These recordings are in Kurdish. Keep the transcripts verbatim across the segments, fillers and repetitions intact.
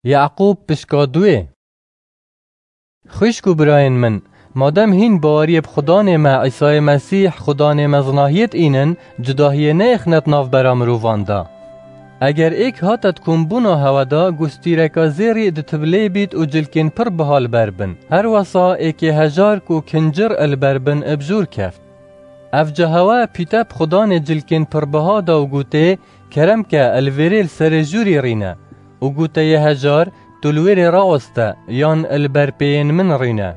Yaqûb pişka duê. Xwişk û birayên min, madem hîn baweriyê bi Xudanê me Îsayê Mesîh, Xudanê me zinahiyê dînin, cudahiyê neyêxnet navbera mirovan de. Eger êk hate di kombûna hewe de, gustîreka zêrî ditibilê bît û cilkên pir biha li ber bin. Her wesa êkê hejar ku kincir li ber bin bi jûr keft. Ev ca hewe pîte bi Xudanê cilkên pir biha da û gotê, Kerem ke, li vêrê li serê jûrî rîne. Û goteyê hejar, Tu li wêrê raweste, yan li ber pêyên min rîne.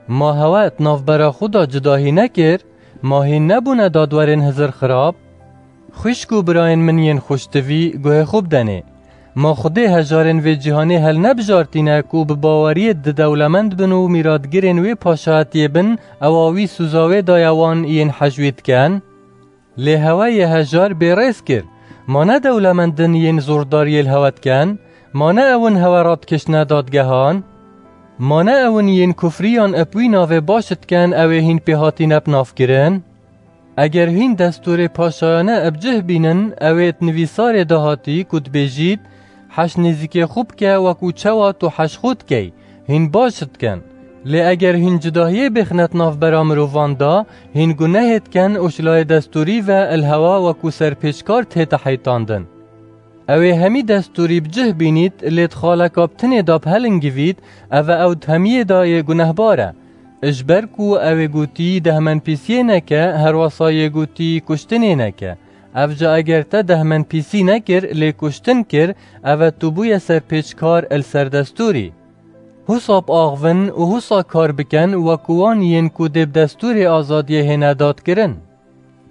Ma hewe di navbera xwe de cudahî nekir? Ma hîn nebûne dadwerên hizir xirab? Xwişk û birayên min yên xweştivî, guhê xwe bidenê. Ma Xwedê hejarên vê cîhanê helnebijartîne ku bi baweriyê di dewlemend bin û mîratgirên wê paşayetiyê bin, ewa wî sûza wê daye wan yên hej wî diken? Lê hewe yê hejar bêrêz kir. Ma ne dewlemendin yên zordar yê li hewe diken? Ma ne ewin hewe radikiştine dadgehan? Ma ne ewin yên kufriyan bi wî navê baş diken, ew ê hîn pê hatîne bi nav kirin? Eger hîn destûrê paşayane bi cih bînin, ew ê di nivîsarê de hatî ku dibêjît, Heş nêzîkê xwe bike, wekû çawa tu heş xwe dikey, hîn baş dikin. Lê eger hîn cudahiyê bêxnet navbera mirovan de, hîn gunehê dikin û ji layê destûrî ve li hewa wekû serpêçkar tête heytandin. Ew ê hemî destûrî bi cih bînît, lê di xaleka bi tinê de bi helingivît, ev e ew di hemiyê de yê gunehbar e. Ji ber ku ew ê gotî dehmenpîsiyê neke, herwesa yê gotî kuştinê neke. Ev ca eger te dehmenpîsî nekir, lê kuştin kir, ev e tu bûye serpêçkar li ser destûrî. Husa biaxivin û husa kar bikin, wekû wan yên ku dê bi destûrê azadiyê hêne dadkirin.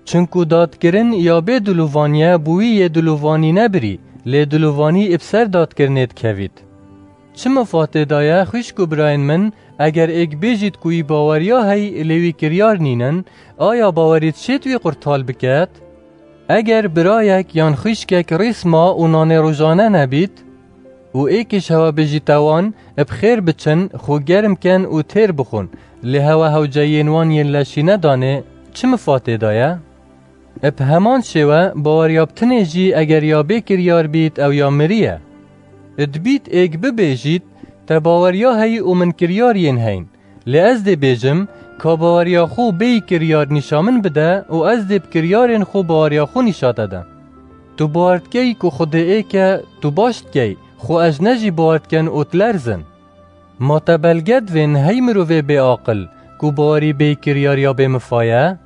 Çinku dadkirin ya bê dilovanî ye, bi wî yê dilovanî nebirî, lê dilovanî bi ser dadkirinê dikevît. Çi mifatê daye, xwişk û birayên min, eger êk bêjît ku wî baweriya heyî, lê wî kiryar nînin, aya bawerî dişêt wî qurtal biket? Eger birayek yan xwişkek rîsma û nanê rojane nebît, û êkî ji hewe bêjîte wan, bi xêr biçin, xwe germ ken û têr bixwin, lê hewe hewceyiyên wan yên leşî nedanê, çi mifatê daye? Bi heman şêwe, baweriya bi tinê jî eger ya bê kiryar bît, ew ya mirî ye. Dibît êk bibêjît, Te baweriya heyî û min kiryar yên heyn. Lê ez dê bêjim, Ka baweriya xwe bêyî kiryar nîşa min bide û ez dê bi kiryarên xwe baweriya xwe nîşa te de. Tu bawer dikey ku Xwedê êk e, tu baş dikey, xwe ez ne jî bawer dikin û dilerzin. Ma te belge divên hey mirovê bêaqil, ku bawerî bêyî kiryar ya bê mifa ye?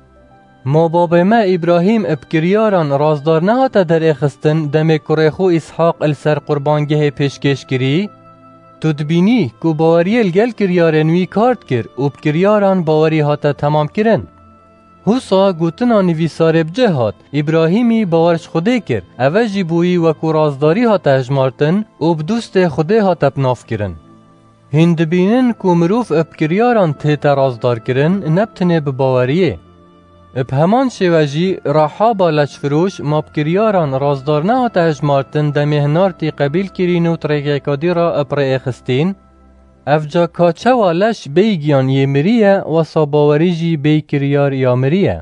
Ma babê me Îbrahîm bi kiryaran razdar nehate derêxistin, demê kurê xwe Îshaq li ser qurbangehê pêşkêş kirî? Tu dibînî ku baweriyê li gel kiryarên wî kar dikir û bi kiryaran bawerî hate temamkirin. Husa gotina nivîsarê bi cih hat, Îbrahîmî bawer ji Xwedê kir, eve jî bo wî wekû razdarî hate hejmartin û bi dostê Xwedê hate bi nav kirin. Hîn dibînin ku mirov bi kiryaran tête razdarkirin, ne bi tinê bi baweriyê. Bi heman şêwe jî Rahaba leşfiroş ma bi kiryaran razdar nehate hejmartin, demê hinartî qebîl kirîn û di rêkeka dî re bi rê êxistîn? Ev ca ka çawa leş bêyî giyan yê mirî ye, wesa bawerî jî bêyî kiryar ya mirî ye.